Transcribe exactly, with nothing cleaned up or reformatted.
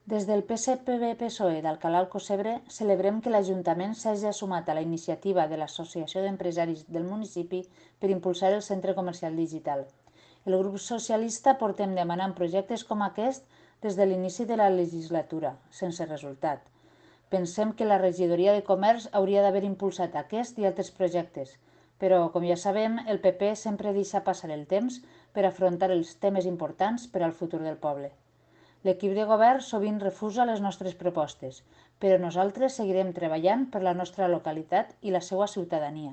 Des del P S P B-P S O E d'Alcalá Alcocebre celebrem que l'Ajuntament s'hagi sumat a la iniciativa de l'Associació d'Empresaris del municipi per impulsar el centre comercial digital. El grup socialista portem demanant projectes com aquest des de l'inici de la legislatura, sense resultat. Pensem que la regidoria de comerç hauria d'haver impulsat aquest i altres projectes, però, com ja sabem, el P P sempre deixa passar el temps per afrontar els temes importants per al futur del poble. L'equip de govern sovint refusa les nostres propostes, però nosaltres seguirem treballant per la nostra localitat i la seva ciutadania.